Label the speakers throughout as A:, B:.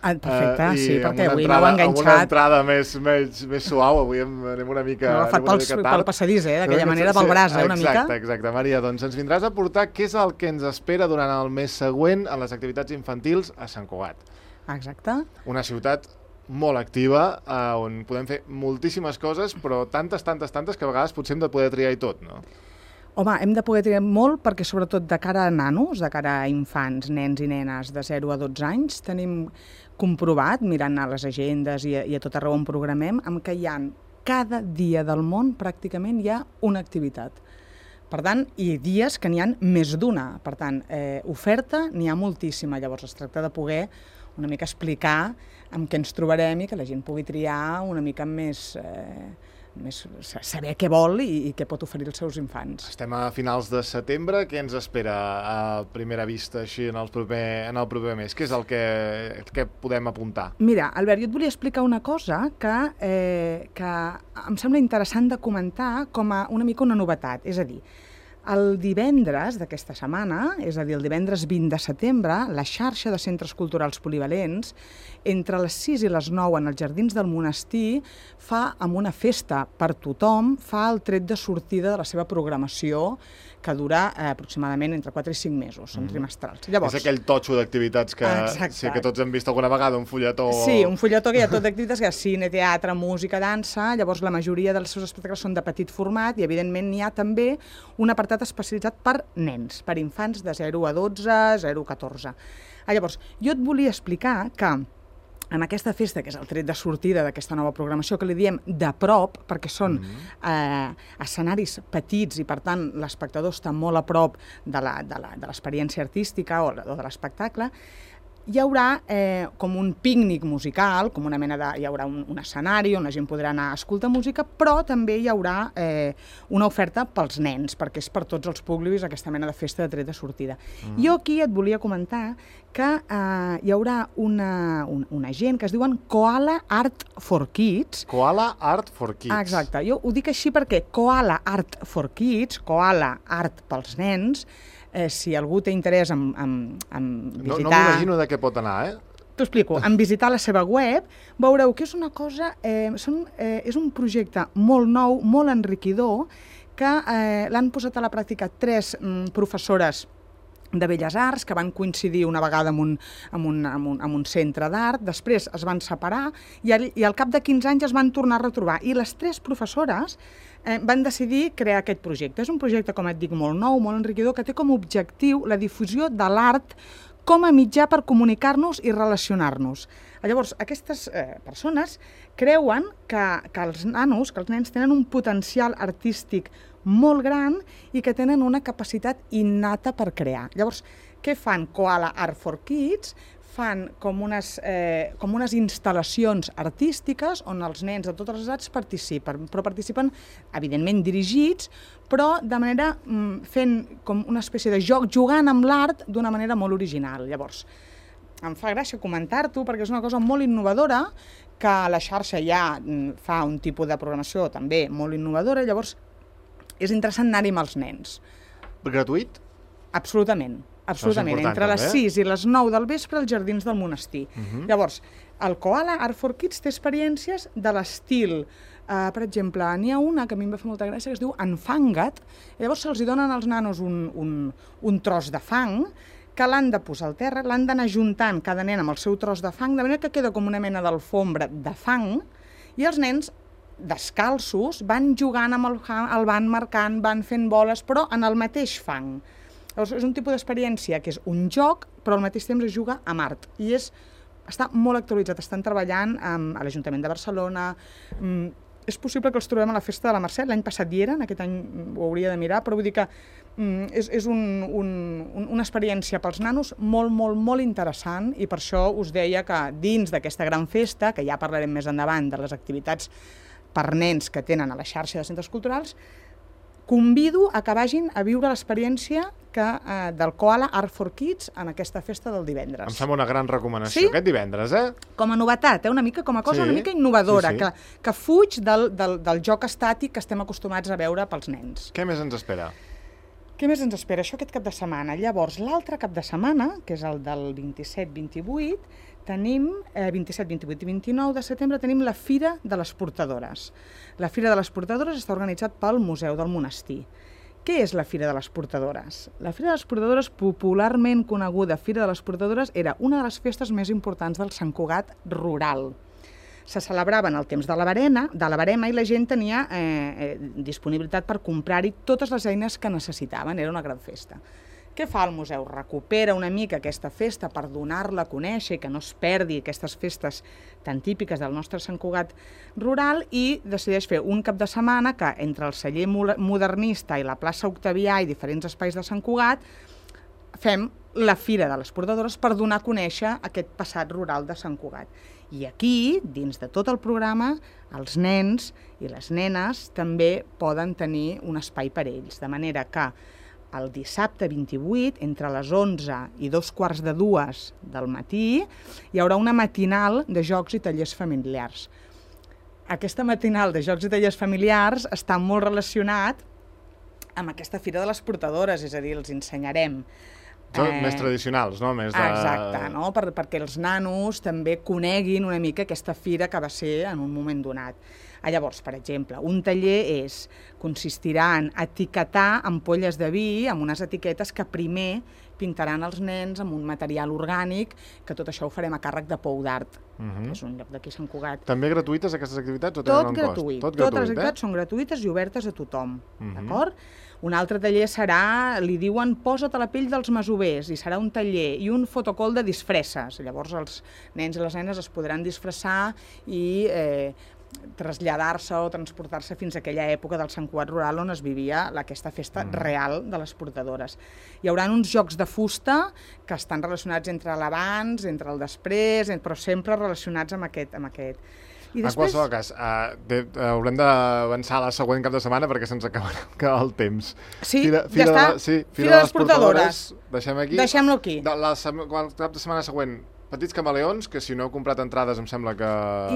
A: Perfecte, sí, perquè avui
B: m'heu
A: enganxat.
B: Amb una entrada més suau, avui anem una mica
A: No, agafat pel passadís, d'aquella manera, pel braç, una mica.
B: Exacte. Maria, doncs ens vindràs a portar què és el que ens espera durant el mes següent en les activitats infantils a Sant Cugat.
A: Exacte.
B: Una ciutat molt activa, on podem fer moltíssimes coses, però tantes que a vegades potser hem de poder triar i tot, no?
A: Home, hem de poder triar molt perquè, sobretot, de cara a nanos, de cara a infants, nens i nenes de 0 a 12 anys, tenim comprovat, mirant a les agendes i a tot arreu on programem, que hi ha cada dia del món pràcticament hi ha una activitat. Per tant, i dies que n'hi ha més d'una. Per tant, oferta n'hi ha moltíssima. Llavors es tracta de poder una mica explicar amb què ens trobarem i que la gent pugui triar una mica més saber què vol i què pot oferir als seus infants.
B: Estem a finals de setembre, què ens espera a primera vista així en el proper mes? Què és el que podem apuntar?
A: Mira, Albert, jo et volia explicar una cosa que em sembla interessant de comentar com a una mica una novetat, és a dir, el divendres d'aquesta setmana, és a dir, el divendres 20 de setembre, la xarxa de centres culturals polivalents, entre les 6 i les 9 en els Jardins del Monestir, fa amb una festa per tothom, fa el tret de sortida de la seva programació, que dura aproximadament entre 4 i 5 mesos, són trimestrals.
B: Llavors, és aquell totxo d'activitats que tots hem vist alguna vegada, un fulletó...
A: Sí, un fulletó que hi ha tot d'activitats, que hi ha cine, teatre, música, dansa, llavors la majoria dels seus espectacles són de petit format i evidentment n'hi ha també un apartat especialitzat per nens, per infants de 0 a 12, 0 a 14. Llavors, jo et volia explicar que en aquesta festa, que és el tret de sortida d'aquesta nova programació, que li diem de prop, perquè són escenaris petits i, per tant, l'espectador està molt a prop de l'experiència artística o de l'espectacle, hi haurà com un pícnic musical, com una mena de... hi haurà un escenari on la gent podrà anar a escoltar música, però també hi haurà una oferta pels nens, perquè és per tots els públics aquesta mena de festa de tret de sortida. Jo aquí et volia comentar que hi haurà una gent que es diuen Koala Art for Kids.
B: Koala Art for Kids.
A: Exacte, jo ho dic així perquè Koala Art for Kids, Koala Art pels nens, si algú té interès en visitar...
B: No m'imagino de què pot anar,
A: T'ho explico. En visitar la seva web veureu que és una cosa... és un projecte molt nou, molt enriquidor, que l'han posat a la pràctica 3 professores de Belles Arts, que van coincidir una vegada en un centre d'art, després es van separar i al cap de 15 anys es van tornar a retrobar. I les 3 professores van decidir crear aquest projecte. És un projecte, com et dic, molt nou, molt enriquidor, que té com a objectiu la difusió de l'art com a mitjà per comunicar-nos i relacionar-nos. Llavors, aquestes persones creuen que els nanos, que els nens tenen un potencial artístic molt gran i que tenen una capacitat innata per crear. Llavors, què fan Koala Art for Kids? Fan com unes instal·lacions artístiques on els nens de totes les edats participen, però participen, evidentment, dirigits, però de manera fent com una espècie de joc, jugant amb l'art d'una manera molt original. Llavors, em fa gràcia comentar-t'ho perquè és una cosa molt innovadora, que la xarxa ja fa un tipus de programació també molt innovadora, llavors és interessant anar-hi amb els nens.
B: Gratuït?
A: Absolutament. Absolutament, entre les 6 i les 9 del vespre als Jardins del Monestir. Llavors, el Koala Art for Kids té experiències de l'estil, per exemple, n'hi ha una que a mi em va fer molta gràcia, que es diu Enfanga't, llavors se'ls donen als nanos un tros de fang, que l'han de posar al terra, l'han d'anar juntant cada nen amb el seu tros de fang, de manera que queda com una mena d'alfombra de fang, i els nens descalços van jugant amb el van marcant, van fent boles, però en el mateix fang. Llavors, és un tipus d'experiència que és un joc, però al mateix temps es juga amb art. I està molt actualitzat. Estan treballant a l'Ajuntament de Barcelona. És possible que els trobem a la Festa de la Mercè. L'any passat hi eren, aquest any ho hauria de mirar, però vull dir que és una experiència pels nanos molt, molt, molt interessant, i per això us deia que dins d'aquesta gran festa, que ja parlarem més endavant de les activitats per nens que tenen a la xarxa de centres culturals, convido a que vagin a viure l'experiència del Koala Art for Kids en aquesta festa del divendres.
B: Em sembla una gran recomanació, aquest divendres,
A: Com a novetat, una mica com a cosa una mica innovadora, que fuig del joc estàtic que estem acostumats a veure pels nens.
B: Què més ens espera?
A: Què més ens espera? Això aquest cap de setmana. Llavors, l'altre cap de setmana, que és el del 27-28, tenim 27, 28 i 29 de setembre tenim la Fira de les Portadores. La Fira de les Portadores està organitzat pel Museu del Monestir. Què és la Fira de les Portadores? La Fira de les Portadores, popularment coneguda Fira de les Portadores, era una de les festes més importants del Sant Cugat rural. Se celebrava en el temps de la verema i la gent tenia disponibilitat per comprar-hi totes les eines que necessitaven. Era una gran festa. Què fa el museu? Recupera una mica aquesta festa per donar-la a conèixer i que no es perdi aquestes festes tan típiques del nostre Sant Cugat rural i decideix fer un cap de setmana que entre el celler modernista i la plaça Octavià i diferents espais de Sant Cugat fem la Fira de les Portadores per donar a conèixer aquest passat rural de Sant Cugat. I aquí, dins de tot el programa, els nens i les nenes també poden tenir un espai per ells, de manera que el dissabte 28, entre les 11 i 2:45 del matí, hi haurà una matinal de jocs i tallers familiars. Aquesta matinal de jocs i tallers familiars està molt relacionat amb aquesta Fira de les Portadores, és a dir, els ensenyarem
B: més tradicionals, no? Més de...
A: Exacte, no? Perquè els nanos també coneguin una mica aquesta fira que va ser en un moment donat. Llavors, per exemple, un taller consistirà en etiquetar ampolles de vi amb unes etiquetes que primer pintaran els nens amb un material orgànic, que tot això ho farem a càrrec de Pou d'Art, que és un lloc d'aquí a Sant Cugat.
B: També gratuïtes aquestes activitats o tenen un cost?
A: Tot gratuït. Totes les activitats són gratuïtes i obertes a tothom, d'acord? Un altre taller serà, li diuen, posa't a la pell dels masovers, i serà un taller i un fotocol de disfresses. Llavors els nens i les nenes es podran disfressar i traslladar-se o transportar-se fins a aquella època del Sant Cugat rural on es vivia aquesta festa real de les portadores. Hi haurà uns jocs de fusta que estan relacionats entre l'abans, entre el després, però sempre relacionats amb aquest. I després...
B: En qualsevol cas, haurem d'avançar la següent cap de setmana perquè se'ns acabarà el temps.
A: Sí, ja està. Fira de les Portadores. Deixem-lo aquí.
B: El cap de setmana següent, Petits Camaleons, que si no heu comprat entrades em sembla que...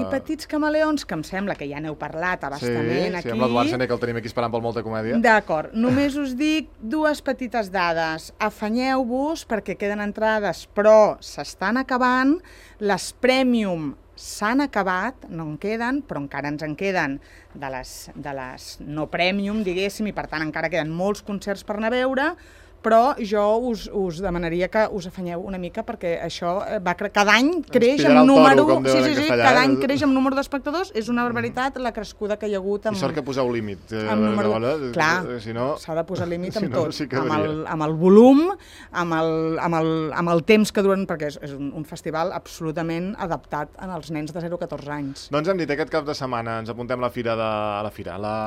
A: I Petits Camaleons, que em sembla que ja n'heu parlat abastament aquí.
B: Sí, amb l'Eduard Sené, que el tenim aquí esperant pel Molta Comèdia.
A: D'acord, només us dic dues petites dades. Afanyeu-vos perquè queden entrades, però s'estan acabant. Les Premium s'han acabat, no en queden, però encara ens en queden de les no Premium, diguéssim, i per tant encara queden molts concerts per anar a veure, però jo us demanaria que us afanyeu una mica perquè això cada any creix amb número... Cada any creix amb número d'espectadors. És una barbaritat la crescuda que hi ha hagut.
B: I sort que poseu límit.
A: Clar, s'ha de posar límit amb tot. Amb el volum, amb el temps que duren, perquè és un festival absolutament adaptat als nens de 0 a 14 anys.
B: Doncs hem dit, aquest cap de setmana ens apuntem a la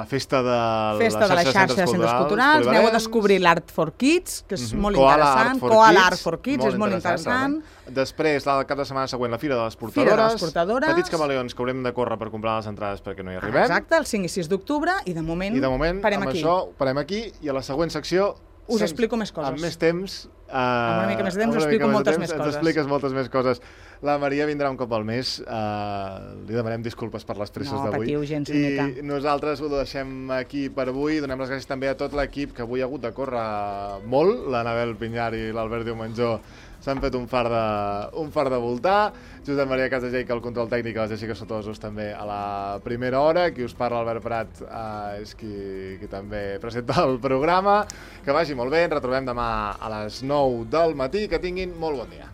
B: festa de
A: la xarxa de centres culturals. Aneu a descobrir l'Art for Kids, que és molt interessant. Koala Art for Kids, és molt interessant.
B: Després, el cap de setmana següent, la Fira de les Portadores. Petits Camaleons, que haurem de córrer per comprar les entrades perquè no hi arribem.
A: Exacte, el 5 i 6 d'octubre, i de moment parem aquí.
B: Això parem aquí, i a la següent secció...
A: Us explico més coses.
B: Amb més temps...
A: Amb una mica més de temps us explico moltes més coses.
B: Ens expliques moltes més coses. La Maria vindrà un cop al mes. Li demanem disculpes per les presses d'avui.
A: No patiu gens ni mica.
B: I nosaltres ho deixem aquí per avui. Donem les gràcies també a tot l'equip que avui ha hagut de córrer molt. L'Anabel Pinyar i l'Albert Diumenjó s'han fet un far de voltar. Josep Maria Casageica, el control tècnic, a les Jessica Sotosos també a la primera hora. Qui us parla, Albert Prat, és qui també presenta el programa. Que vagi molt bé, ens retrobem demà a les 9 del matí. Que tinguin molt bon dia.